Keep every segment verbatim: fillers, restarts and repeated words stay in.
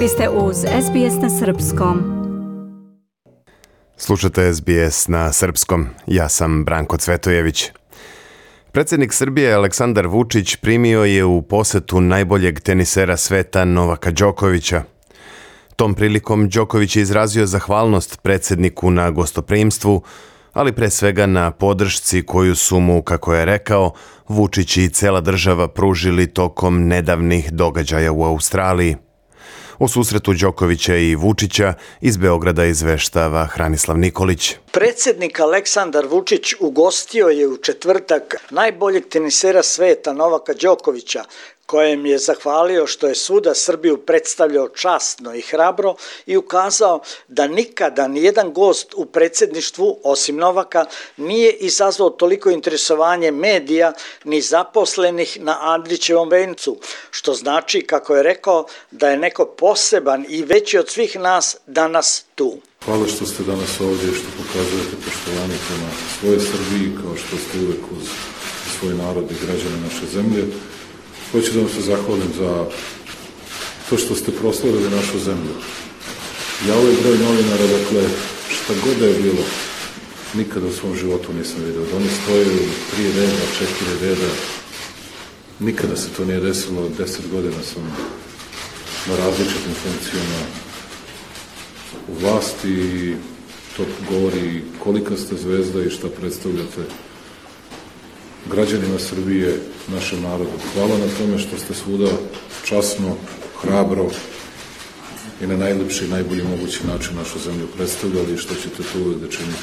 Vi ste uz S B S na srpskom. Slušate S B S na srpskom. Ja sam Branko Cvetojević. Predsjednik Srbije Aleksandar Vučić primio je u posetu najboljeg tenisera sveta Novaka Đokovića. Tom prilikom Đoković je izrazio zahvalnost predsjedniku na gostoprimstvu, ali pre svega na podršci koju su mu, kako je rekao, Vučić i cela država pružili tokom nedavnih događaja u Australiji. O susretu Đokovića i Vučića iz Beograda izveštava Hranislav Nikolić. Predsjednik Aleksandar Vučić ugostio je u četvrtak najboljeg tenisera sveta Novaka Đokovića, kojem je zahvalio što je svuda Srbiju predstavljao časno i hrabro i ukazao da nikada nijedan gost u predsjedništvu, osim Novaka, nije izazvao toliko interesovanje medija ni zaposlenih na Andrićevom vencu, što znači, kako je rekao, da je neko poseban i veći od svih nas danas tu. Hvala što ste danas ovdje i što pokazujete poštovanje prema svojoj Srbiji, kao što ste uvek uz svoj narod i građane naše zemlje. Hoću da vam se zahvalim za to što ste proslavili našu zemlju. Ja ovaj broj novinara, dakle, šta god da je bilo, nikada u svom životu nisam vidio. Da oni stoje u tri reda, četiri reda, nikada se to nije desilo. Deset godina sam na različitim funkcijama u vlasti i to govori kolika ste zvezda i šta predstavljate građanima Srbije, našem narodu. Hvala na tome što ste svuda časno, hrabro i na najlepši i najbolji mogući način našu zemlju predstavljali i što ćete to uvijek da činite.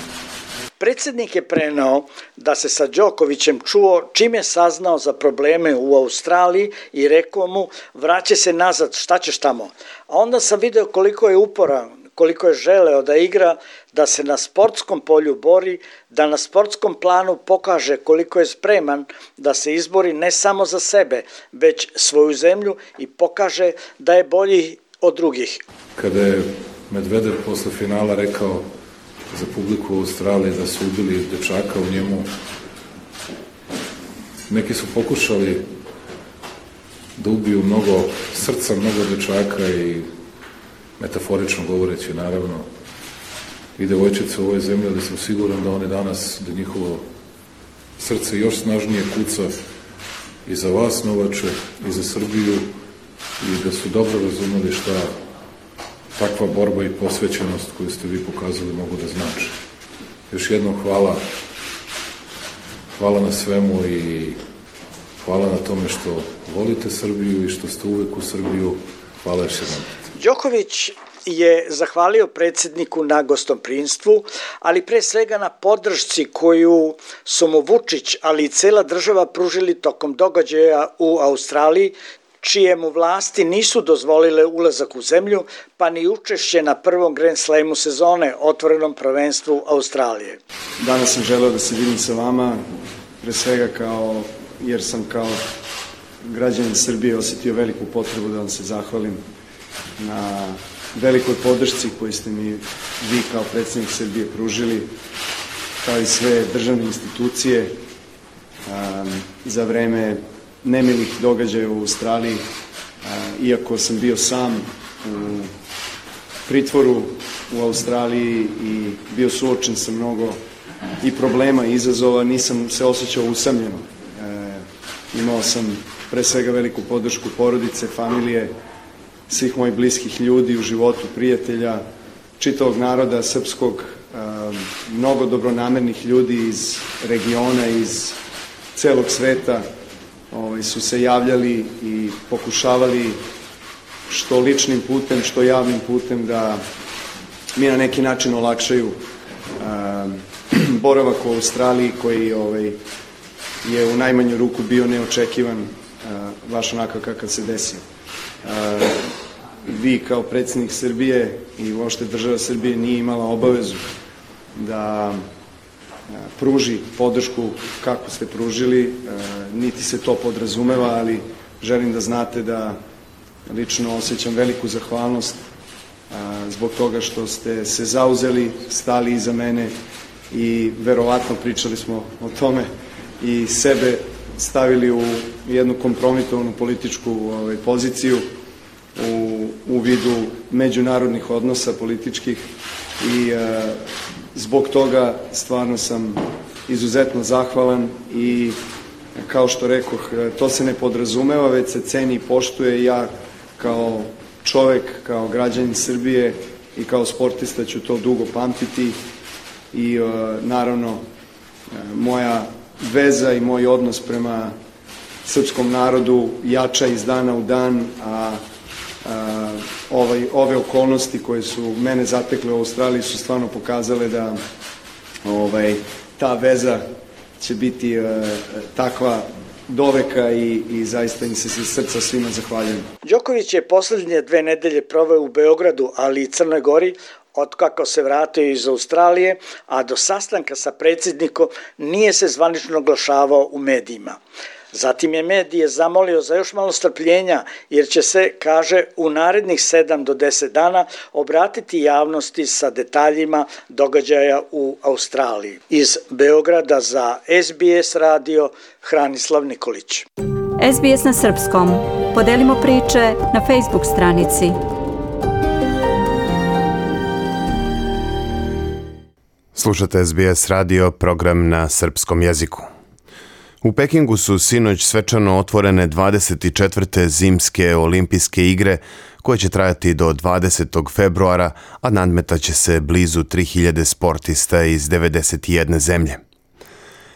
Predsjednik je preneo da se sa Đokovićem čuo čim je saznao za probleme u Australiji i rekao mu vraća se nazad, šta ćeš tamo? A onda sam video koliko je uporan, koliko je želeo da igra, da se na sportskom polju bori, da na sportskom planu pokaže koliko je spreman da se izbori ne samo za sebe, već svoju zemlju i pokaže da je bolji od drugih. Kada je Medvedev posle finala rekao za publiku u Australiji da su ubili dečaka u njemu, neki su pokušali da ubiju mnogo srca, mnogo dečaka i metaforično govoreći, naravno, i devojčice u ovoj zemlji, ali sam siguran da oni danas, da njihovo srce još snažnije kuca i za vas, Novače, i za Srbiju, i da su dobro razumeli šta takva borba i posvećenost koju ste vi pokazali mogu da znači. Još jednom hvala, hvala na svemu i hvala na tome što volite Srbiju i što ste uvek u Srbiju. Hvala još jednom. Đoković je zahvalio predsjedniku na gostoprimstvu, ali pre svega na podršci koju su mu Vučić, ali i cela država pružili tokom događaja u Australiji, čije mu vlasti nisu dozvolile ulazak u zemlju, pa ni učešće na prvom Grand Slamu sezone, otvorenom prvenstvu Australije. Danas sam želeo da se vidim sa vama, pre svega kao, jer sam kao građanin Srbije osjetio veliku potrebu da vam se zahvalim na velikoj podršci koju ste mi vi kao predsjednik Srbije pružili, kao i sve državne institucije um, za vreme nemilih događaja u Australiji, uh, iako sam bio sam u pritvoru u Australiji i bio suočen sa mnogo i problema i izazova, nisam se osjećao usamljeno. Uh, imao sam pre svega veliku podršku porodice, familije, svih mojih bliskih ljudi u životu, prijatelja, čitavog naroda srpskog, mnogo dobronamernih ljudi iz regiona, iz celog sveta su se javljali i pokušavali što ličnim putem, što javnim putem da mi na neki način olakšaju boravak u Australiji koji je u najmanju ruku bio neočekivan, baš onako kakav se desio. Vi kao predsjednik Srbije i uopšte država Srbije nije imala obavezu da pruži podršku kako ste pružili, niti se to podrazumeva, ali želim da znate da lično osjećam veliku zahvalnost zbog toga što ste se zauzeli, stali iza mene i verovatno pričali smo o tome i sebe stavili u jednu kompromitovanu političku ovaj, poziciju u, u vidu međunarodnih odnosa političkih i zbog toga stvarno sam izuzetno zahvalan i kao što rekoh, to se ne podrazumeva, već se ceni i poštuje. Ja kao čovek, kao građanin Srbije i kao sportista ću to dugo pamtiti i naravno moja veza i moj odnos prema srpskom narodu jača iz dana u dan, a, a ovaj, ove okolnosti koje su mene zatekle u Australiji su stvarno pokazale da ovaj, ta veza će biti a, takva doveka i, i zaista im se iz srca svima zahvaljujem. Đoković je poslednje dve nedelje proveo u Beogradu, ali i Crnoj Gori, otkako se vratio iz Australije, a do sastanka sa predsjednikom nije se zvanično oglašavao u medijima. Zatim je medije zamolio za još malo strpljenja, jer će se, kaže, u narednih sedam do deset dana obratiti javnosti sa detaljima događaja u Australiji. Iz Beograda za S B S radio, Hranislav Nikolić. S B S na srpskom. Podelimo priče na Facebook stranici. Slušate S B S radio, program na srpskom jeziku. U Pekingu su sinoć svečano otvorene dvadeset četvrte zimske olimpijske igre koje će trajati do dvadesetog februara, a nadmetaće se blizu tri hiljade sportista iz devedeset jedne zemlje.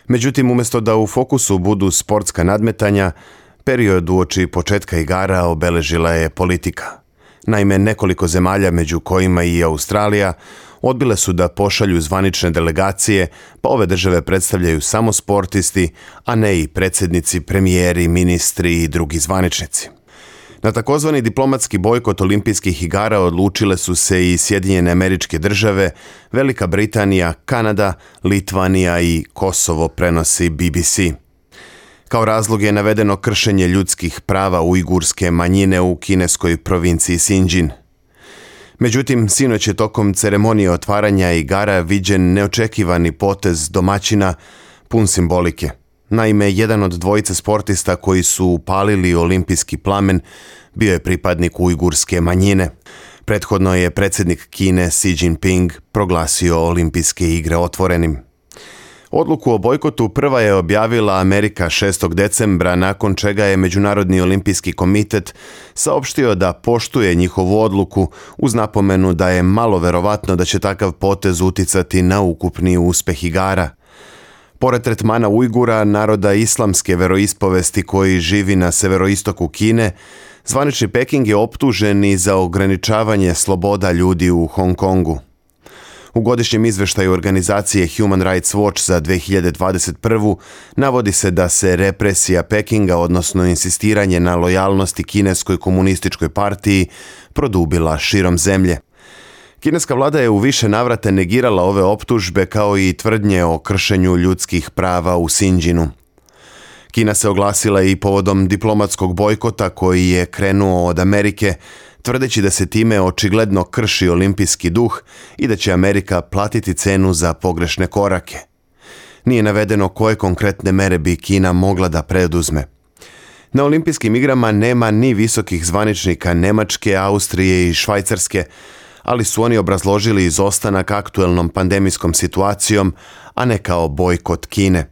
Međutim, umjesto da u fokusu budu sportska nadmetanja, period uoči početka igara obeležila je politika. Naime, nekoliko zemalja, među kojima i Australija, odbile su da pošalju zvanične delegacije, pa ove države predstavljaju samo sportisti, a ne i predsjednici, premijeri, ministri i drugi zvaničnici. Na takozvani diplomatski bojkot olimpijskih igara odlučile su se i Sjedinjene Američke Države, Velika Britanija, Kanada, Litvanija i Kosovo, prenosi B B C. Kao razlog je navedeno kršenje ljudskih prava ujgurske manjine u kineskoj provinciji Sinđin. Međutim, sinoć je tokom ceremonije otvaranja igara viđen neočekivani potez domaćina pun simbolike. Naime, jedan od dvojice sportista koji su upalili olimpijski plamen bio je pripadnik ujgurske manjine. Prethodno je predsjednik Kine Xi Jinping proglasio olimpijske igre otvorenim. Odluku o bojkotu prva je objavila Amerika šestog decembra, nakon čega je Međunarodni olimpijski komitet saopštio da poštuje njihovu odluku uz napomenu da je malo verovatno da će takav potez uticati na ukupni uspeh igara. Pored tretmana Ujgura, naroda islamske veroispovesti koji živi na severoistoku Kine, zvanični Peking je optužen i za ograničavanje sloboda ljudi u Hong Kongu. U godišnjem izveštaju organizacije Human Rights Watch za dve hiljade dvadeset prvu navodi se da se represija Pekinga, odnosno insistiranje na lojalnosti kineskoj komunističkoj partiji, produbila širom zemlje. Kineska vlada je u više navrata negirala ove optužbe kao i tvrdnje o kršenju ljudskih prava u Sinđinu. Kina se oglasila i povodom diplomatskog bojkota koji je krenuo od Amerike, tvrdeći da se time očigledno krši olimpijski duh i da će Amerika platiti cenu za pogrešne korake. Nije navedeno koje konkretne mere bi Kina mogla da preduzme. Na olimpijskim igrama nema ni visokih zvaničnika Nemačke, Austrije i Švajcarske, ali su oni obrazložili izostanak aktuelnom pandemijskom situacijom, a ne kao bojkot Kine.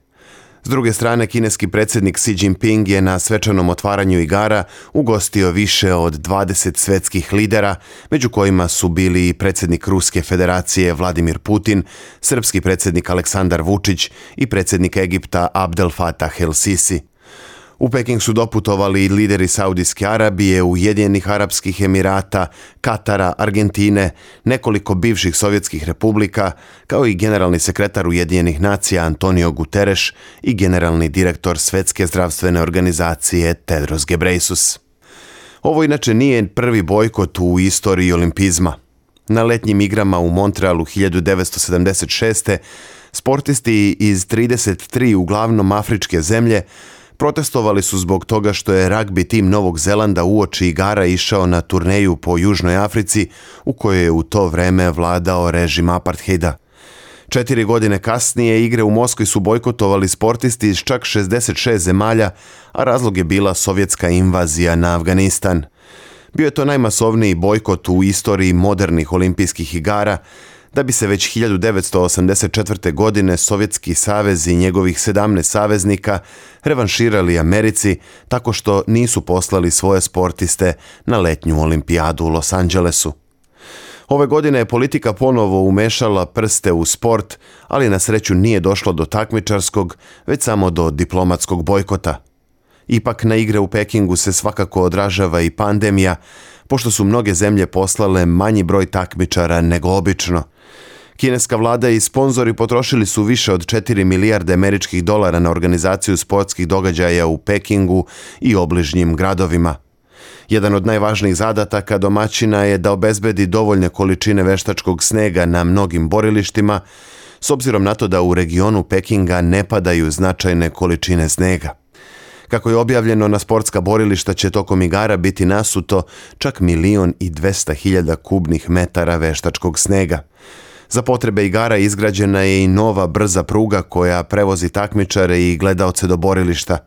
S druge strane, kineski predsjednik Xi Jinping je na svečanom otvaranju igara ugostio više od dvadeset svetskih lidera, među kojima su bili i predsjednik Ruske federacije Vladimir Putin, srpski predsjednik Aleksandar Vučić i predsjednik Egipta Abdel Fattah el-Sisi. U Peking su doputovali i lideri Saudijske Arabije, Ujedinjenih Arapskih Emirata, Katara, Argentine, nekoliko bivših sovjetskih republika, kao i generalni sekretar Ujedinjenih nacija Antonio Guterres i generalni direktor Svetske zdravstvene organizacije Tedros Ghebreyesus. Ovo inače nije prvi bojkot u istoriji olimpizma. Na letnjim igrama u Montrealu hiljadu devetsto sedamdeset šeste sportisti iz trideset tri uglavnom afričke zemlje protestovali su zbog toga što je ragbi tim Novog Zelanda uoči igara išao na turneju po Južnoj Africi, u kojoj je u to vreme vladao režim apartheida. Četiri godine kasnije igre u Moskvi su bojkotovali sportisti iz čak šezdeset šest zemalja, a razlog je bila sovjetska invazija na Afganistan. Bio je to najmasovniji bojkot u istoriji modernih olimpijskih igara, da bi se već hiljadu devetsto osamdeset četvrte. godine Sovjetski savez i njegovih sedamnaest saveznika revanširali Americi tako što nisu poslali svoje sportiste na letnju olimpijadu u Los Angelesu. Ove godine je politika ponovo umešala prste u sport, ali na sreću nije došlo do takmičarskog, već samo do diplomatskog bojkota. Ipak na igre u Pekingu se svakako odražava i pandemija, pošto su mnoge zemlje poslale manji broj takmičara nego obično. Kineska vlada i sponzori potrošili su više od četiri milijarde američkih dolara na organizaciju sportskih događaja u Pekingu i obližnjim gradovima. Jedan od najvažnijih zadataka domaćina je da obezbedi dovoljne količine veštačkog snega na mnogim borilištima, s obzirom na to da u regionu Pekinga ne padaju značajne količine snega. Kako je objavljeno, na sportska borilišta će tokom igara biti nasuto čak milion i dvesta hiljada kubnih metara veštačkog snega. Za potrebe igara izgrađena je i nova brza pruga koja prevozi takmičare i gledaoce do borilišta.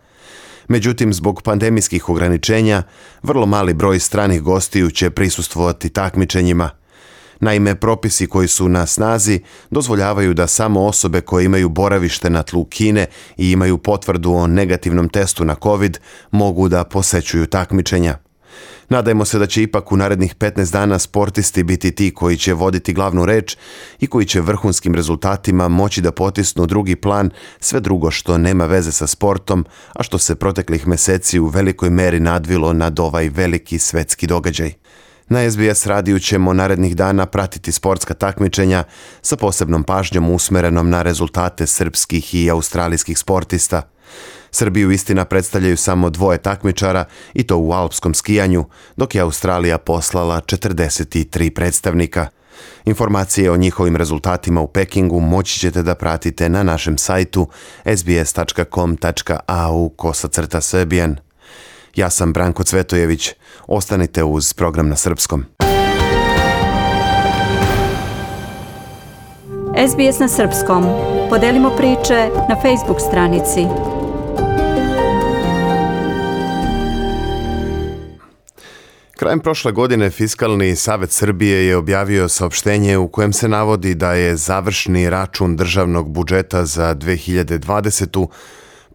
Međutim, zbog pandemijskih ograničenja, vrlo mali broj stranih gostiju će prisustvovati takmičenjima. Naime, propisi koji su na snazi dozvoljavaju da samo osobe koje imaju boravište na tlu Kine i imaju potvrdu o negativnom testu na COVID mogu da posećuju takmičenja. Nadajmo se da će ipak u narednih petnaest dana sportisti biti ti koji će voditi glavnu reč i koji će vrhunskim rezultatima moći da potisnu drugi plan sve drugo što nema veze sa sportom, a što se proteklih meseci u velikoj meri nadvilo nad ovaj veliki svetski događaj. Na S B S radiju ćemo narednih dana pratiti sportska takmičenja sa posebnom pažnjom usmerenom na rezultate srpskih i australijskih sportista. Srbiju istina predstavljaju samo dvoje takmičara i to u alpskom skijanju, dok je Australija poslala četrdeset tri predstavnika. Informacije o njihovim rezultatima u Pekingu moći ćete da pratite na našem sajtu s b s tačka com tačka a u kosacrta Serbian. Ja sam Branko Cvetojević. Ostanite uz program na srpskom. S B S na srpskom. Podelimo priče na Facebook stranici. Krajem prošle godine Fiskalni savet Srbije je objavio saopštenje u kojem se navodi da je završni račun državnog budžeta za dve hiljade dvadesetu.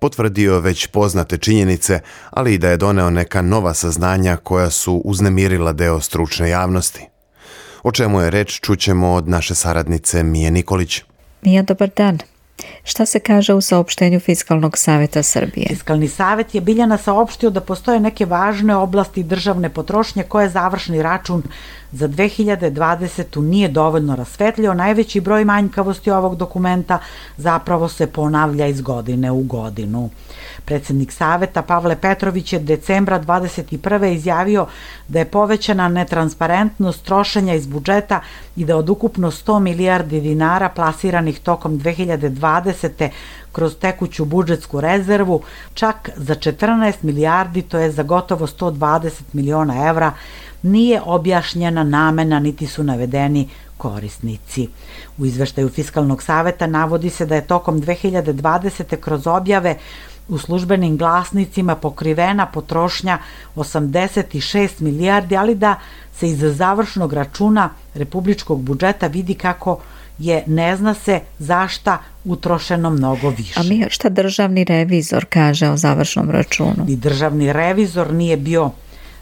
potvrdio već poznate činjenice, ali i da je doneo neka nova saznanja koja su uznemirila deo stručne javnosti. O čemu je reč čućemo od naše saradnice Mije Nikolić. Mija, dobar dan. Šta se kaže u saopštenju Fiskalnog saveta Srbije? Fiskalni savet je Biljana saopštio da postoje neke važne oblasti državne potrošnje koje završni račun za dve hiljade dvadesetu. nije dovoljno rasvetlio. Najveći broj manjkavosti ovog dokumenta zapravo se ponavlja iz godine u godinu. Predsjednik saveta Pavle Petrović je decembra dvadeset prve izjavio da je povećana netransparentnost trošenja iz budžeta i da od ukupno sto milijardi dinara plasiranih tokom dve hiljade dvadesete. kroz tekuću budžetsku rezervu, čak za četrnaest milijardi, to je za gotovo sto dvadeset miliona evra, nije objašnjena namena niti su navedeni korisnici. U izveštaju Fiskalnog saveta navodi se da je tokom dve hiljade dvadesete. kroz objave u službenim glasnicima pokrivena potrošnja osamdeset šest milijardi, ali da se iz završnog računa republičkog budžeta vidi kako je ne zna se zašta utrošeno mnogo više. A mi šta državni revizor kaže o završnom računu? I državni revizor nije bio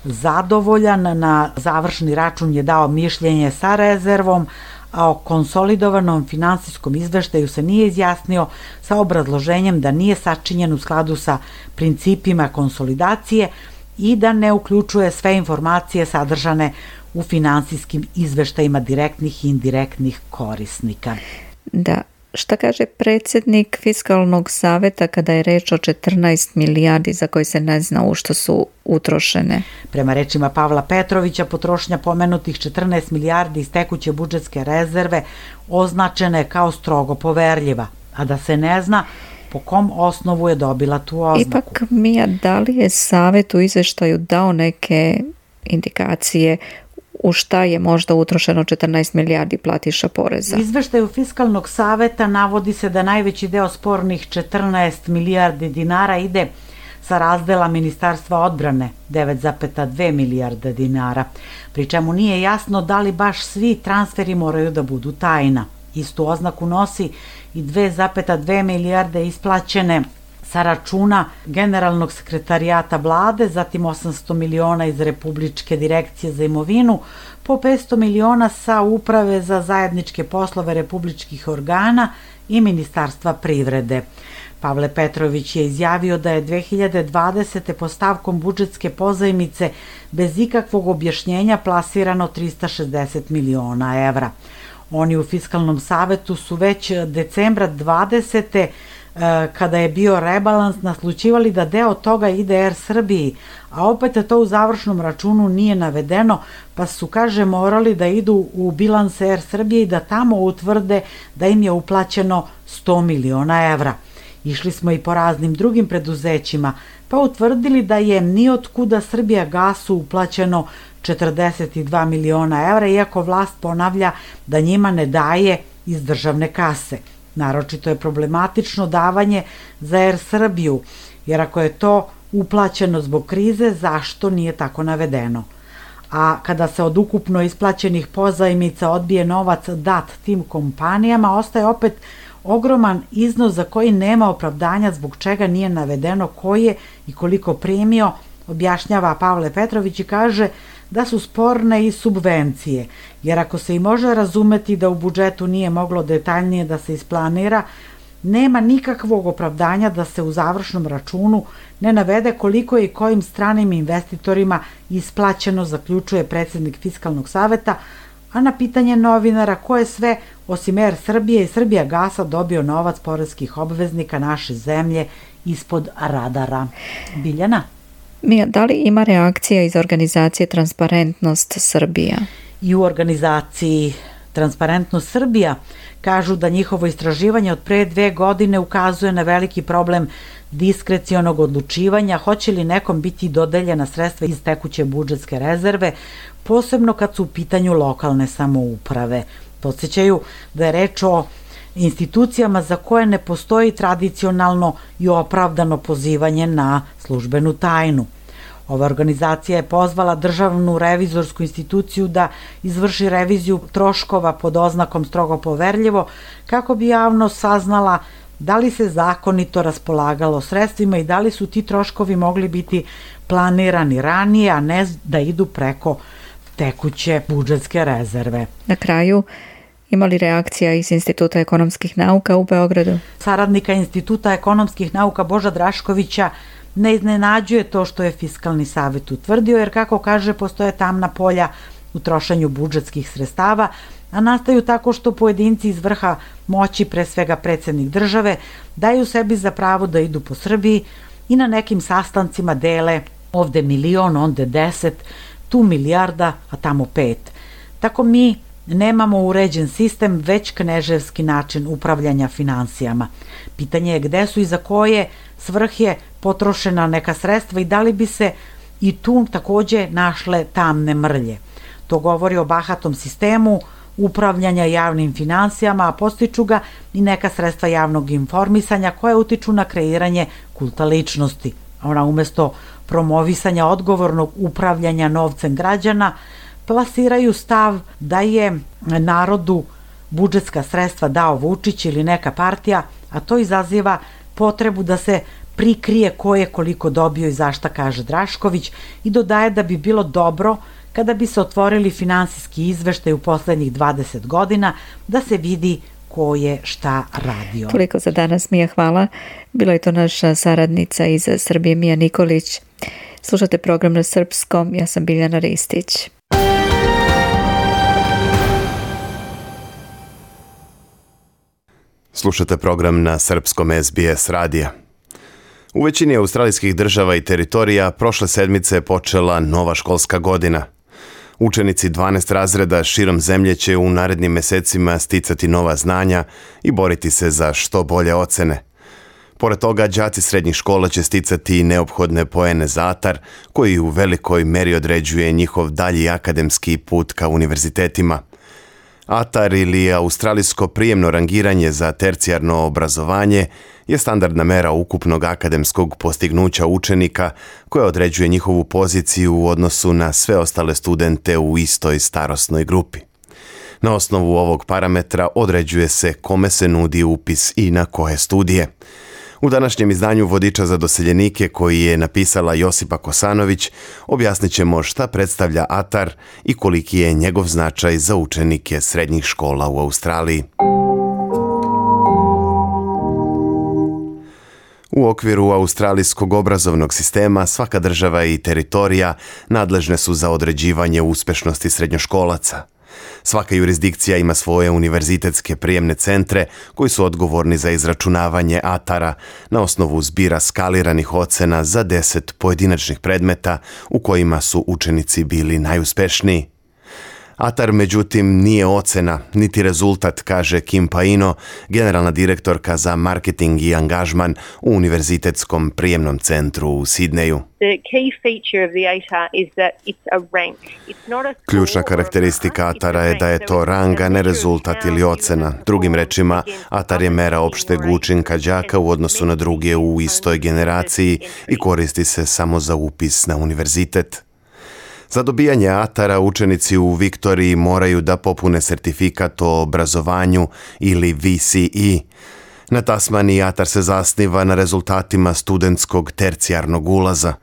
zadovoljan, na završni račun je dao mišljenje sa rezervom, a o konsolidovanom finansijskom izveštaju se nije izjasnio sa obrazloženjem da nije sačinjen u skladu sa principima konsolidacije i da ne uključuje sve informacije sadržane u finansijskim izveštajima direktnih i indirektnih korisnika. Da, šta kaže predsjednik Fiskalnog saveta kada je reč o četrnaest milijardi za koje se ne zna u što su utrošene? Prema rečima Pavla Petrovića, potrošnja pomenutih četrnaest milijardi iz tekuće budžetske rezerve označena je kao strogo poverljiva, a da se ne zna po kom osnovu je dobila tu oznaku. Ipak, Mija, da li je savet u izveštaju dao neke indikacije u šta je možda utrošeno četrnaest milijardi platiša poreza? U izveštaju Fiskalnog saveta navodi se da najveći deo spornih četrnaest milijardi dinara ide sa razdela Ministarstva odbrane devet zarez dve milijarde dinara, pri čemu nije jasno da li baš svi transferi moraju da budu tajna. Istu oznaku nosi i dve zarez dve milijarde isplaćene sa računa Generalnog sekretarijata vlade, zatim osamsto miliona iz Republičke direkcije za imovinu, po petsto miliona sa Uprave za zajedničke poslove republičkih organa i Ministarstva privrede. Pavle Petrović je izjavio da je dve hiljade dvadesete. po stavkom budžetske pozajmice bez ikakvog objašnjenja plasirano trista šezdeset miliona evra. Oni u Fiskalnom savetu su već decembra dvadesete kada je bio rebalans naslućivali da deo toga ide Er Srbiji, a opet to u završnom računu nije navedeno, pa su, kaže, morali da idu u bilans Er Srbije i da tamo utvrde da im je uplaćeno sto miliona evra. Išli smo i po raznim drugim preduzećima, pa utvrdili da je ni od kuda Srbijagasu uplaćeno četrdeset dva miliona evra, iako vlast ponavlja da njima ne daje iz državne kase. Naročito je problematično davanje za Er Srbiju, jer ako je to uplaćeno zbog krize, zašto nije tako navedeno? A kada se od ukupno isplaćenih pozajmica odbije novac dat tim kompanijama, ostaje opet ogroman iznos za koji nema opravdanja zbog čega nije navedeno ko je i koliko primio, objašnjava Pavle Petrović i kaže da su sporne i subvencije, jer ako se i može razumeti da u budžetu nije moglo detaljnije da se isplanira, nema nikakvog opravdanja da se u završnom računu ne navede koliko je i kojim stranim investitorima isplaćeno, zaključuje predsjednik Fiskalnog saveta, a na pitanje novinara ko je sve osim Er Srbije i Srbijagasa dobio novac poreskih obveznika naše zemlje ispod radara. Biljana? Mija, da li ima reakcija iz organizacije Transparentnost Srbija? I u organizaciji Transparentnost Srbija kažu da njihovo istraživanje od pre dve godine ukazuje na veliki problem diskrecionog odlučivanja hoće li nekom biti dodeljena sredstva iz tekuće budžetske rezerve, posebno kad su u pitanju lokalne samouprave. Podsjećaju da je reč o institucijama za koje ne postoji tradicionalno i opravdano pozivanje na službenu tajnu. Ova organizacija je pozvala Državnu revizorsku instituciju da izvrši reviziju troškova pod oznakom strogo poverljivo kako bi javnost saznala da li se zakonito raspolagalo sredstvima i da li su ti troškovi mogli biti planirani ranije, a ne da idu preko tekuće budžetske rezerve. Na kraju, ima li reakcija iz Instituta ekonomskih nauka u Beogradu? Saradnika Instituta ekonomskih nauka Boža Draškovića ne iznenađuje to što je Fiskalni savet utvrdio, jer kako kaže postoje tamna polja u trošenju budžetskih sredstava, a nastaju tako što pojedinci iz vrha moći, pre svega predsjednik države, daju sebi za pravo da idu po Srbiji i na nekim sastancima dele ovde milion, onde deset, tu milijarda, a tamo pet. Tako mi nemamo uređen sistem, već kneževski način upravljanja finansijama. Pitanje je gde su i za koje svrhe potrošena neka sredstva i da li bi se i tu takođe našle tamne mrlje. To govori o bahatom sistemu upravljanja javnim finansijama, a postiču ga i neka sredstva javnog informisanja koje utiču na kreiranje kulta ličnosti. Ona umesto promovisanja odgovornog upravljanja novcem građana plasiraju stav da je narodu budžetska sredstva dao Vučić ili neka partija, a to izaziva potrebu da se prikrije ko je koliko dobio i zašta, kaže Drašković, i dodaje da bi bilo dobro kada bi se otvorili finansijski izveštaj u poslednjih dvadeset godina da se vidi ko je šta radio. Toliko za danas, Mija, hvala. Bila je to naša saradnica iz Srbije, Mija Nikolić. Slušate program na srpskom, ja sam Biljana Ristić. Slušate program na srpskom S B S radija. U većini australijskih država i teritorija prošle sedmice je počela nova školska godina. Učenici dvanaest razreda širom zemlje će u narednim mesecima sticati nova znanja i boriti se za što bolje ocene. Pored toga, đaci srednjih škola će sticati neophodne poene za atar, koji u velikoj meri određuje njihov dalji akademski put ka univerzitetima. A T A R ili australijsko prijemno rangiranje za tercijarno obrazovanje je standardna mera ukupnog akademskog postignuća učenika koja određuje njihovu poziciju u odnosu na sve ostale studente u istoj starosnoj grupi. Na osnovu ovog parametra određuje se kome se nudi upis i na koje studije. U današnjem izdanju Vodiča za doseljenike koji je napisala Josipa Kosanović objasnit ćemo šta predstavlja A T A R i koliki je njegov značaj za učenike srednjih škola u Australiji. U okviru australijskog obrazovnog sistema svaka država i teritorija nadležne su za određivanje uspešnosti srednjoškolaca. Svaka jurisdikcija ima svoje univerzitetske prijemne centre koji su odgovorni za izračunavanje A T A R-a na osnovu zbira skaliranih ocena za deset pojedinačnih predmeta u kojima su učenici bili najuspešniji. A T A R, međutim, nije ocena, niti rezultat, kaže Kim Paino, generalna direktorka za marketing i angažman u Univerzitetskom prijemnom centru u Sidneju. Ključna karakteristika A T A R-a je da je to rang, a ne rezultat ili ocena. Drugim rečima, A T A R je mera opšteg učinka đaka u odnosu na druge u istoj generaciji i koristi se samo za upis na univerzitet. Za dobijanje A T A R-a učenici u Viktoriji moraju da popune sertifikat o obrazovanju ili V C E. Na Tasmaniji A T A R se zasniva na rezultatima studentskog tercijarnog ulaza.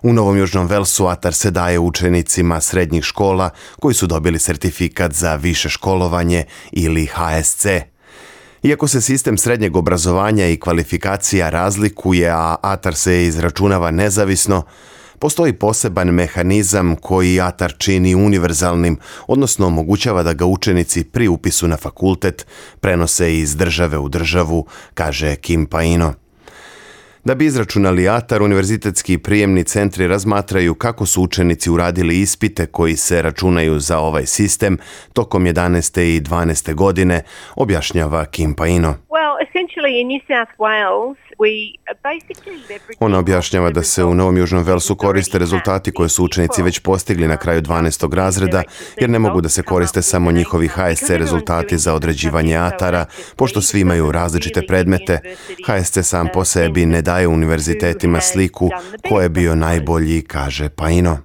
U Novom Južnom Velsu A T A R se daje učenicima srednjih škola koji su dobili sertifikat za više školovanje ili H S C. Iako se sistem srednjeg obrazovanja i kvalifikacija razlikuje, a A T A R se izračunava nezavisno, postoji poseban mehanizam koji A T A R čini univerzalnim, odnosno omogućava da ga učenici pri upisu na fakultet prenose iz države u državu, kaže Kim Paino. Da bi izračunali A T A R, univerzitetski prijemni centri razmatraju kako su učenici uradili ispite koji se računaju za ovaj sistem tokom jedanaeste i dvanaeste godine, objašnjava Kim Paino. Ona objašnjava da se u Novom Južnom Velsu koriste rezultati koje su učenici već postigli na kraju dvanaestog razreda, jer ne mogu da se koriste samo njihovi H S C rezultati za određivanje A T A R-a, pošto svi imaju različite predmete. H S C sam po sebi ne daje univerzitetima sliku ko je bio najbolji, kaže Paino.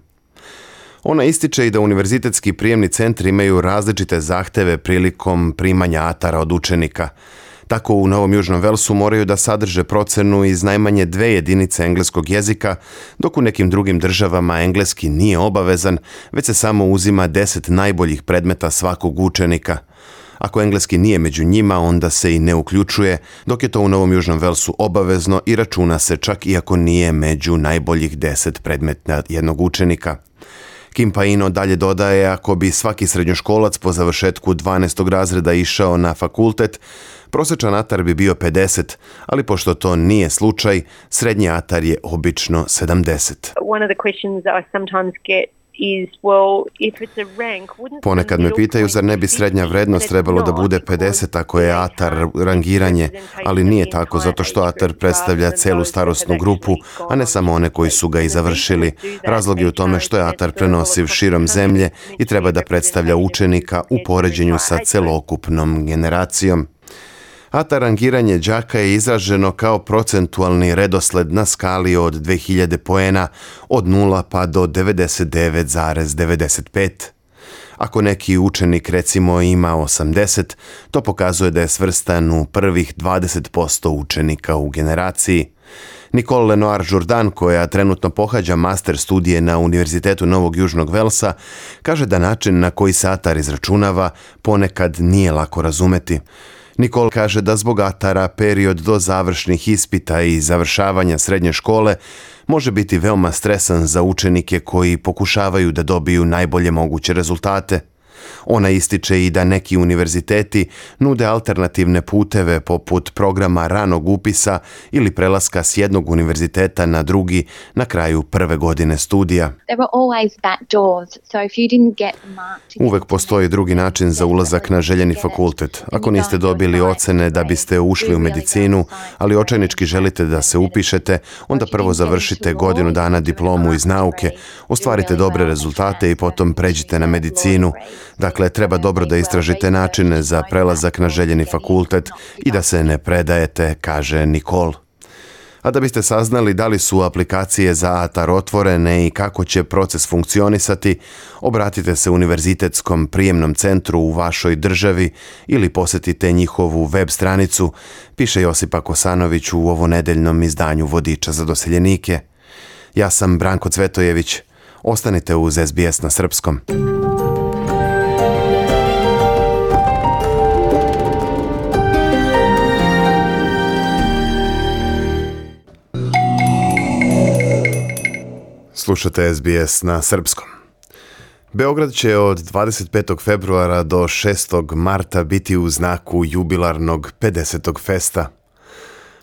Ona ističe i da univerzitetski prijemni centri imaju različite zahteve prilikom primanja A T A R-a od učenika. Tako u Novom Južnom Velsu moraju da sadrže procenu iz najmanje dve jedinice engleskog jezika, dok u nekim drugim državama engleski nije obavezan, već se samo uzima deset najboljih predmeta svakog učenika. Ako engleski nije među njima, onda se i ne uključuje, dok je to u Novom Južnom Velsu obavezno i računa se čak i ako nije među najboljih deset predmeta jednog učenika. Kim Paino dalje dodaje, ako bi svaki srednjoškolac po završetku dvanaestog razreda išao na fakultet, prosječan A T A R bi bio pedeset, ali pošto to nije slučaj, srednji A T A R je obično sedamdeset. Ponekad me pitaju, zar ne bi srednja vrednost trebalo da bude pedeset ako je A T A R rangiranje, ali nije tako zato što A T A R predstavlja celu starosnu grupu, a ne samo one koji su ga i završili. Razlog je u tome što je A T A R prenosiv širom zemlje i treba da predstavlja učenika u poređenju sa celokupnom generacijom. A T A R rangiranje đaka je izraženo kao procentualni redosled na skali od dve hiljade poena od nula pa do devedeset devet zarez devedeset pet. Ako neki učenik recimo ima osamdeset, to pokazuje da je svrstan u prvih dvadeset posto učenika u generaciji. Nicole Lenoir-Jourdan, koja trenutno pohađa master studije na Univerzitetu Novog Južnog Velsa, kaže da način na koji se A T A R izračunava ponekad nije lako razumeti. Nicole kaže da zbog A T A R-a period do završnih ispita i završavanja srednje škole može biti veoma stresan za učenike koji pokušavaju da dobiju najbolje moguće rezultate. Ona ističe i da neki univerziteti nude alternativne puteve poput programa ranog upisa ili prelaska s jednog univerziteta na drugi na kraju prve godine studija. Uvek postoji drugi način za ulazak na željeni fakultet. Ako niste dobili ocene da biste ušli u medicinu, ali očajnički želite da se upišete, onda prvo završite godinu dana diplomu iz nauke, ostvarite dobre rezultate i potom pređite na medicinu. Dakle, treba dobro da istražite načine za prelazak na željeni fakultet i da se ne predajete, kaže Nicole. A da biste saznali da li su aplikacije za ATAR otvorene i kako će proces funkcionisati, obratite se Univerzitetskom prijemnom centru u vašoj državi ili posjetite njihovu web stranicu, piše Josipa Kosanović u ovonedeljnom izdanju Vodiča za doseljenike. Ja sam Branko Cvetojević. Ostanite uz S B S na srpskom. Slušate S B S na srpskom. Beograd će od dvadeset petog februara do šestog marta biti u znaku jubilarnog pedesetog festa.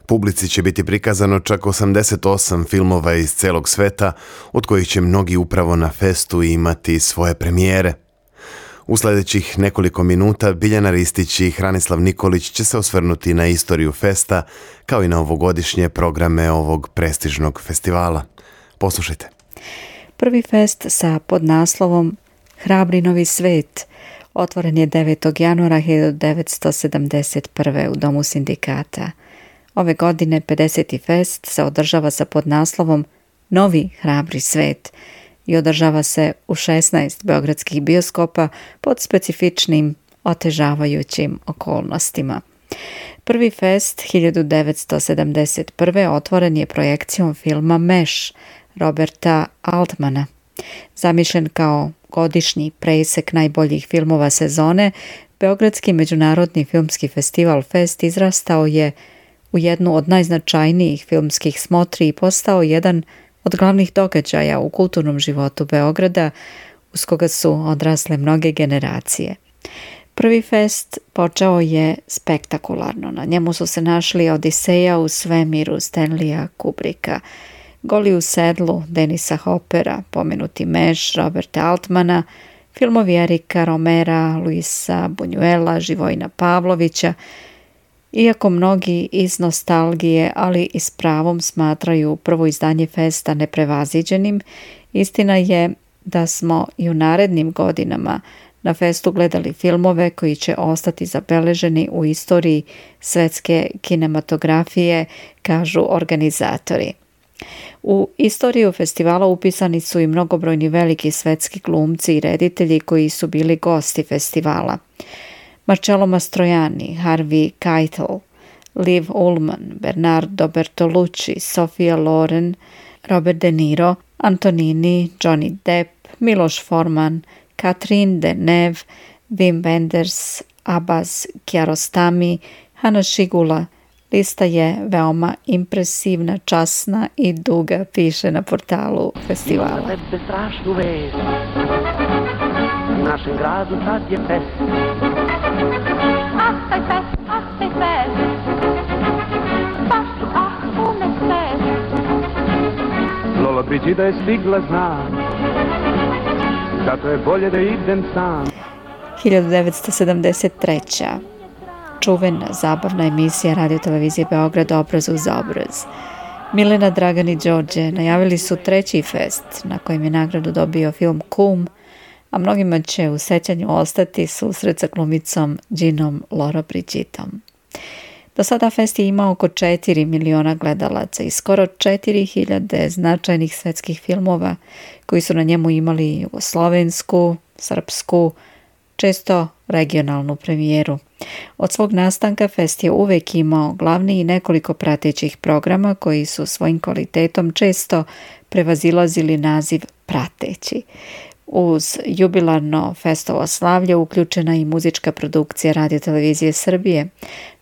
Publici će biti prikazano čak osamdeset osam filmova iz celog sveta, od kojih će mnogi upravo na festu imati svoje premijere. U sljedećih nekoliko minuta Biljana Ristić i Hranislav Nikolić će se osvrnuti na istoriju festa, kao i na ovogodišnje programe ovog prestižnog festivala. Poslušajte. Prvi fest sa podnaslovom Hrabri novi svet otvoren je devetog januara hiljadu devetsto sedamdeset prve. u Domu sindikata. Ove godine pedeseti fest se održava sa podnaslovom Novi hrabri svet i održava se u šesnaest beogradskih bioskopa pod specifičnim otežavajućim okolnostima. Prvi fest hiljadu devetsto sedamdeset prve. otvoren je projekcijom filma Meš Roberta Altmana. Zamišljen kao godišnji presek najboljih filmova sezone, Beogradski međunarodni filmski festival Fest izrastao je u jednu od najznačajnijih filmskih smotri i postao jedan od glavnih događaja u kulturnom životu Beograda, uz koga su odrasle mnoge generacije. Prvi fest počeo je spektakularno. Na njemu su se našli Odiseja u svemiru Stanleya Kubricka, Goli u sedlu Denisa Hoppera, pomenuti Meš Roberta Altmana, filmovi Erika Romera, Luisa Buñuela, Živojina Pavlovića. Iako mnogi iz nostalgije, ali i s pravom smatraju prvo izdanje festa neprevaziđenim, istina je da smo i u narednim godinama na festu gledali filmove koji će ostati zabeleženi u istoriji svetske kinematografije, kažu organizatori. U istoriju festivala upisani su i mnogobrojni veliki svetski glumci i reditelji koji su bili gosti festivala. Marcello Mastroianni, Harvey Keitel, Liv Ullmann, Bernardo Bertolucci, Sofia Loren, Robert De Niro, Antonini, Johnny Depp, Miloš Forman, Catherine Deneuve, Wim Wenders, Abbas Kiarostami, Hanna Šigula. Lista je veoma impresivna, časna i duga, piše na portalu festivala. Ima tebe strašnu vest, u našem gradu sad je fest. Ah, taj fest, ah, taj fest, baš su ah, pune fest. Lola Brigida je stigla, zna, zato je bolje da idem sam. hiljadu devetsto sedamdeset treće. Čuvena zabavna emisija Radio televizije Beograd Obraz uz obraz. Milena, Dragan i Đorđe najavili su treći fest na kojem je nagradu dobio film Kum, a mnogima će u sećanju ostati susret sa glumicom Ginom Loro Brigidom. Do sada fest je imao oko četiri miliona gledalaca i skoro četiri hiljade značajnih svetskih filmova koji su na njemu imali jugoslovensku, srpsku, često regionalnu premijeru. Od svog nastanka fest je uvek imao glavni i nekoliko pratećih programa koji su svojim kvalitetom često prevazilazili naziv prateći. Uz jubilarno festovo slavlje uključena i muzička produkcija Radio televizije Srbije.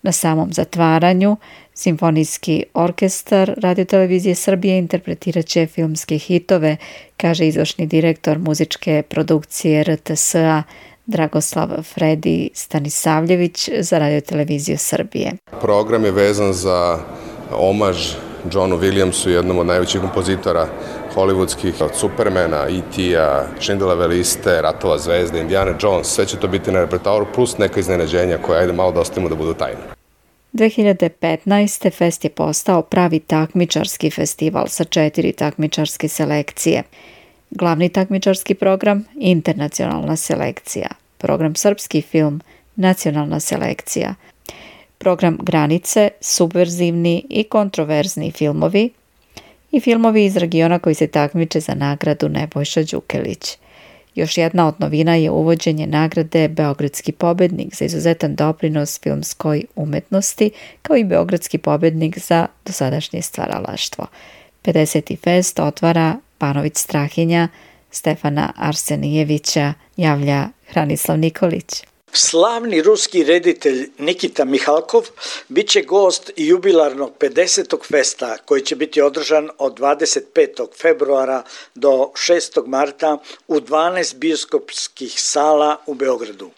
Na samom zatvaranju Simfonijski orkestar Radio televizije Srbije interpretirat će filmske hitove, kaže izvršni direktor muzičke produkcije R T S-a Dragoslav Fredi Stanisavljević za Radio televiziju Srbije. Program je vezan za omaž Johnu Williamsu, jednom od najvećih kompozitora hollywoodskih, od Supermana, E T-a, Schindlerove liste, Ratova zvezde, Indiana Jones, sve će to biti na repertoaru, plus neka iznenađenja koje ajde malo da ostavimo da budu tajne. dve hiljade petnaeste. fest je postao pravi takmičarski festival sa četiri takmičarske selekcije. Glavni takmičarski program, internacionalna selekcija. program Srpski film, nacionalna selekcija, program Granice, subverzivni i kontroverzni filmovi i filmovi iz regiona koji se takmiče za nagradu Nebojša Đukelić. Još jedna od novina je uvođenje nagrade Beogradski pobednik za izuzetan doprinos filmskoj umetnosti, kao i Beogradski pobednik za dosadašnje stvaralaštvo. pedeseti fest otvara Banović Strahinja Stefana Arsenijevića, javlja Hranislav Nikolić. Slavni ruski reditelj Nikita Mihalkov bit će gost jubilarnog pedesetog festa koji će biti održan od dvadeset petog februara do šestog marta u dvanaest bioskopskih sala u Beogradu.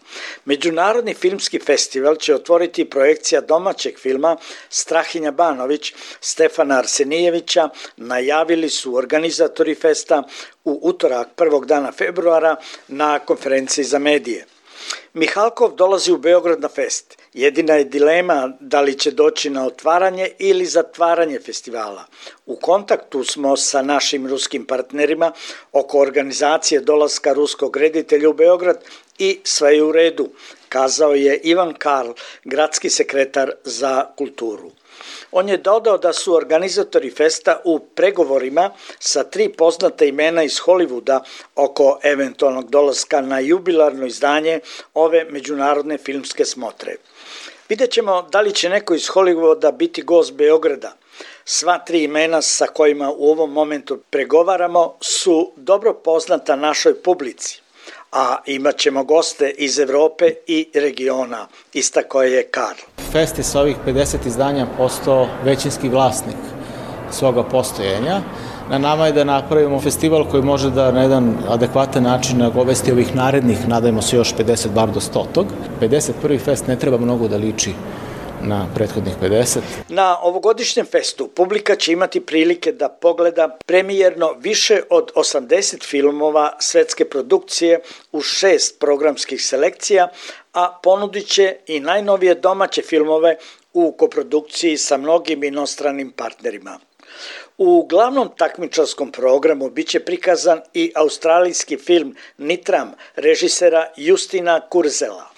Međunarodni filmski festival će otvoriti projekcija domaćeg filma Strahinja Banović Stefana Arsenijevića, najavili su organizatori festa u utorak prvog dana februara na konferenciji za medije. Mihalkov dolazi u Beograd na fest. Jedina je dilema da li će doći na otvaranje ili zatvaranje festivala. U kontaktu smo sa našim ruskim partnerima oko organizacije dolaska ruskog reditelja u Beograd i sve je u redu, kazao je Ivan Karl, gradski sekretar za kulturu. On je dodao da su organizatori festa u pregovorima sa tri poznata imena iz Hollywooda oko eventualnog dolaska na jubilarno izdanje ove međunarodne filmske smotre. Vidjet ćemo da li će neko iz Hollywooda biti gost Beograda. Sva tri imena sa kojima u ovom momentu pregovaramo su dobro poznata našoj publici, a imat ćemo goste iz Evrope i regiona, istakao je Karl. Fest je sa ovih pedeset izdanja postao većinski vlasnik svoga postojanja. Na nama je da napravimo festival koji može da na jedan adekvatan način nagovesti ovih narednih, nadajmo se još pedeset, bar do stotog. pedeset prvi fest ne treba mnogo da liči na prethodnih pedeset. Na ovogodišnjem festu publika će imati prilike da pogleda premijerno više od osamdeset filmova svetske produkcije u šest programskih selekcija, a ponudit će i najnovije domaće filmove u koprodukciji sa mnogim inostranim partnerima. U glavnom takmičarskom programu biće prikazan i australijski film Nitram režisera Justina Kurzela.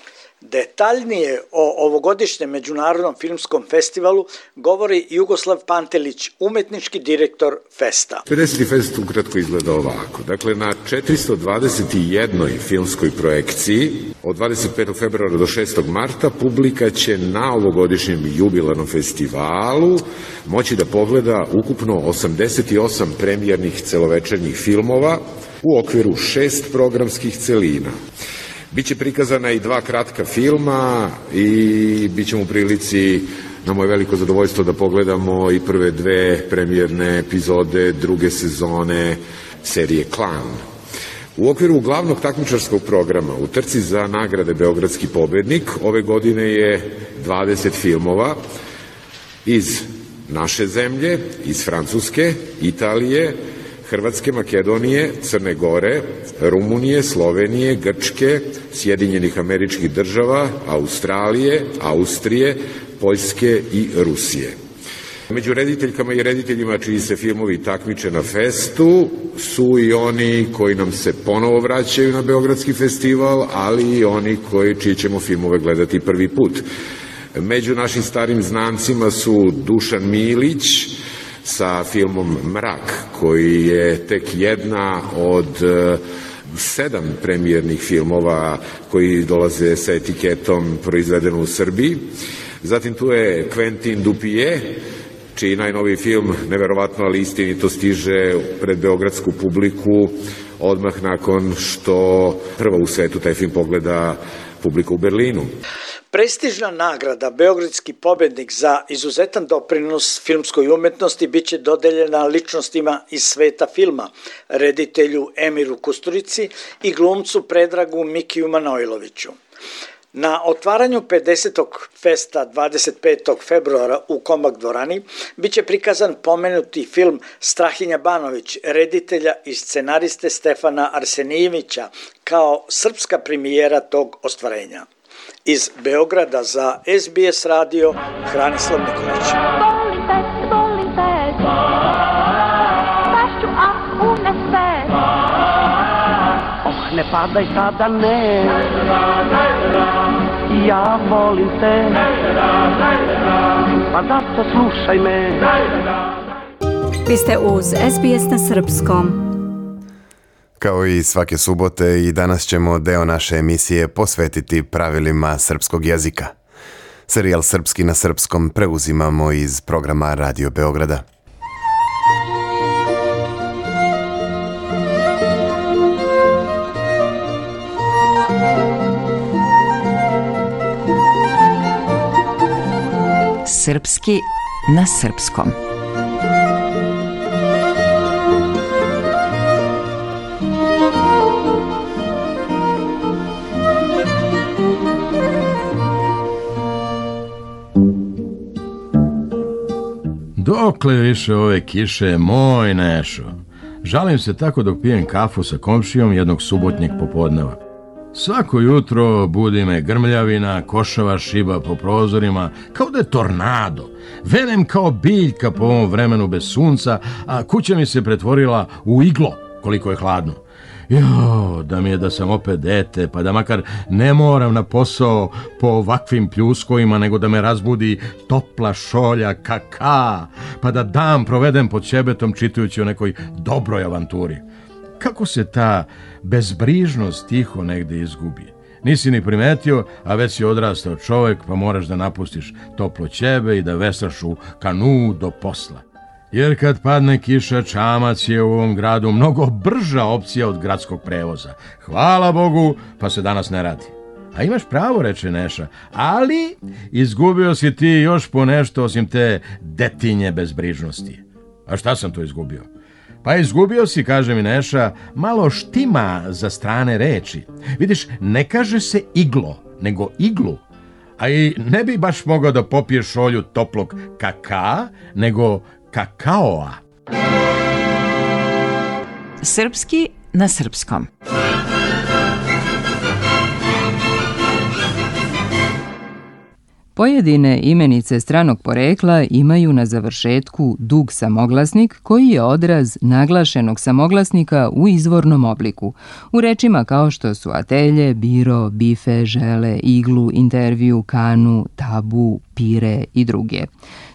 Detaljnije o ovogodišnjem međunarodnom filmskom festivalu govori Jugoslav Pantelić, umetnički direktor festa. pedeseti fest ukratko izgleda ovako. Dakle, na četiristo dvadeset jednoj filmskoj projekciji od dvadeset petog februara do šestog marta publika će na ovogodišnjem jubilarnom festivalu moći da pogleda ukupno osamdeset osam premijernih celovečernjih filmova u okviru šest programskih celina. Biće prikazana i dva kratka filma i bit ćemo u prilici, na moje veliko zadovoljstvo, da pogledamo i prve dve premijerne epizode druge sezone serije Klan. U okviru glavnog takmičarskog programa u trci za nagrade Beogradski pobednik ove godine je dvadeset filmova iz naše zemlje, iz Francuske, Italije, Hrvatske, Makedonije, Crne Gore, Rumunije, Slovenije, Grčke, Sjedinjenih Američkih Država, Australije, Austrije, Poljske i Rusije. Među rediteljkama i rediteljima čiji se filmovi takmiče na festu su i oni koji nam se ponovo vraćaju na Beogradski festival, ali i oni koji čiji ćemo filmove gledati prvi put. Među našim starim znancima su Dušan Milić sa filmom Mrak, koji je tek jedna od sedam premijernih filmova koji dolaze sa etiketom proizvedeno u Srbiji. Zatim tu je Quentin Dupieux, čiji najnoviji film, neverovatno ali istinito, stiže pred beogradsku publiku odmah nakon što prva u svetu taj film pogleda publika u Berlinu. Prestižna nagrada Beogradski pobednik za izuzetan doprinos filmskoj umetnosti biće dodeljena ličnostima iz sveta filma, reditelju Emiru Kusturici i glumcu Predragu Mikiju Manojloviću. Na otvaranju pedesetog festa dvadeset petog februara u Komak dvorani biće prikazan pomenuti film Strahinja Banović, reditelja i scenariste Stefana Arsenijevića, kao srpska premijera tog ostvarenja. Iz Beograda za S B S radio, Hranislav Nikolić. Volim te, volim te, pašću, a u ne sve. Oh, ne padaj sada ne. Ja volim te, pa zato slušaj me. Vi ste uz S B S na srpskom. Kao i svake subote i danas ćemo deo naše emisije posvetiti pravilima srpskog jezika. Serijal Srpski na srpskom preuzimamo iz programa Radio Beograda. Srpski na srpskom. Dokle više ove kiše, moj Nešo? Žalim se tako dok pijem kafu sa komšijom jednog subotnjeg popodneva. Svako jutro budi me grmljavina, košava šiba po prozorima, kao da je tornado. Venem kao biljka po ovom vremenu bez sunca, a kuća mi se pretvorila u iglo, koliko je hladno. Jo, da mi je da sam opet dete, pa da makar ne moram na posao po ovakvim pljuskovima, nego da me razbudi topla šolja kaka, pa da dan provedem pod ćebetom čitajući o nekoj dobroj avanturi. Kako se ta bezbrižnost tiho negde izgubi? Nisi ni primetio, a već si odrastao čovjek, pa moraš da napustiš toplo ćebe i da veslaš u kanu do posla. Jer kad padne kiša, čamac je u ovom gradu mnogo brža opcija od gradskog prevoza. Hvala Bogu, pa se danas ne radi. A imaš pravo, reče Neša, ali izgubio si ti još po nešto osim te detinje bezbrižnosti. A šta sam to izgubio? Pa izgubio si, kaže mi Neša, malo štima za strane reči. Vidiš, ne kaže se iglo, nego iglu. A i ne bi baš mogao da popiješ šolju toplog kaka, nego kakaoa. Srpski na srpskom. Pojedine imenice stranog porekla imaju na završetku dug samoglasnik koji je odraz naglašenog samoglasnika u izvornom obliku. U rečima kao što su atelje, biro, bife, žele, iglu, intervju, kanu, tabu, pire i druge.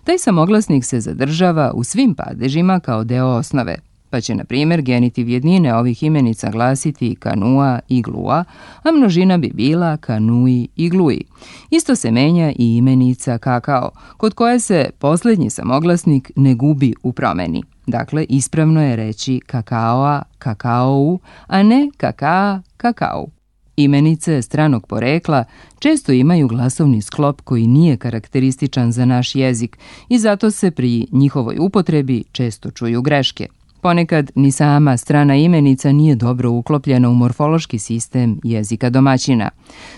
Taj samoglasnik se zadržava u svim padežima kao deo osnove, pa će, na primjer, genitiv jednine ovih imenica glasiti kanua i glua, a množina bi bila kanui i glui. Isto se menja i imenica kakao, kod koje se posljednji samoglasnik ne gubi u promeni. Dakle, ispravno je reći kakaoa, kakaou, a ne kakaa, kakao. Imenice stranog porekla često imaju glasovni sklop koji nije karakterističan za naš jezik i zato se pri njihovoj upotrebi često čuju greške. Ponekad ni sama strana imenica nije dobro uklopljena u morfološki sistem jezika domaćina.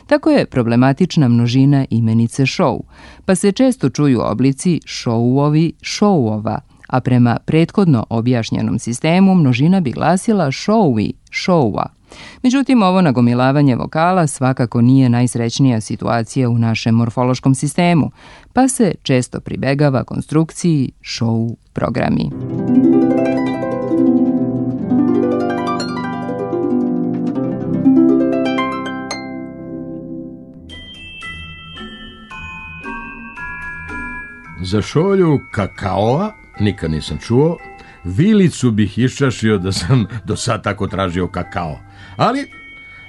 Tako je problematična množina imenice šou, pa se često čuju oblici šouovi, šouova, a prema prethodno objašnjenom sistemu množina bi glasila šouvi, šouva. Međutim, ovo nagomilavanje vokala svakako nije najsrećnija situacija u našem morfološkom sistemu, pa se često pribegava konstrukciji šou programi. Za šolju kakaoa nikad nisam čuo, vilicu bih iščašio da sam do sad tako tražio kakao. Ali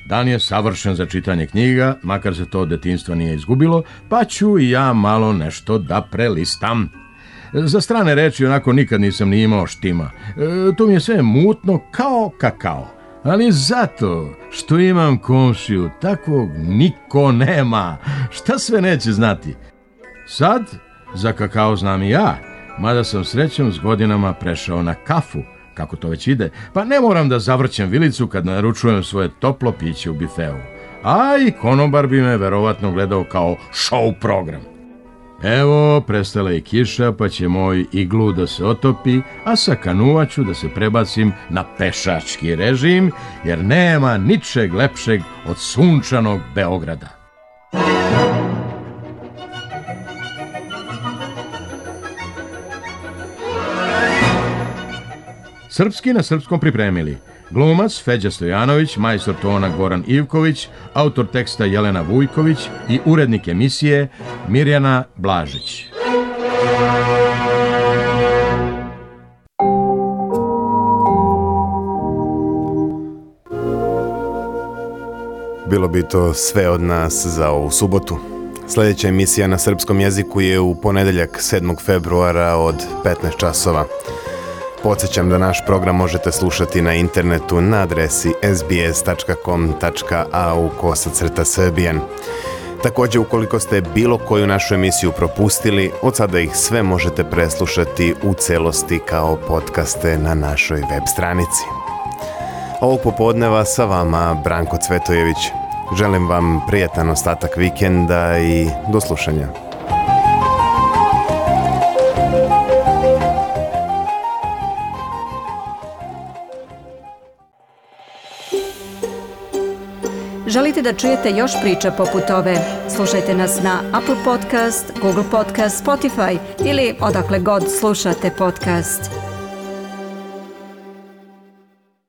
dan je savršen za čitanje knjiga, makar se to od detinjstva nije izgubilo, pa ću i ja malo nešto da prelistam. Za strane reči onako nikad nisam ni imao štima. E, to mi je sve mutno kao kakao. Ali zato što imam komšiju, takvog niko nema. Šta sve neće znati? Sad za kakao znam i ja, mada sam srećom s godinama prešao na kafu, kako to već ide, pa ne moram da zavrćem vilicu kad naručujem svoje toplo piće u bifeu. A i konobar bi me verovatno gledao kao show program. Evo, prestala je kiša, pa će moj iglu da se otopi, a sa kanua ću da se prebacim na pešački režim, jer nema ničeg lepšeg od sunčanog Beograda. Srpski na srpskom pripremili Glumac Feđa Stojanović, majstor tona Goran Ivković, autor teksta Jelena Vujković i urednik emisije Mirjana Blažić. Bilo bi to sve od nas za ovu subotu. Sljedeća emisija na srpskom jeziku je u ponedeljak sedmog februara od petnaest časova. Podsjećam da naš program možete slušati na internetu na adresi s b s tačka com tačka a u kosacrta srbijan. Također, ukoliko ste bilo koju našu emisiju propustili, od sada ih sve možete preslušati u celosti kao podcaste na našoj web stranici. Ovog popodneva sa vama Branko Cvetojević. Želim vam prijatan ostatak vikenda i do slušanja. Želite da čujete još priča poput ove? Slušajte nas na Apple Podcast, Google Podcast, Spotify ili odakle god slušate podcast.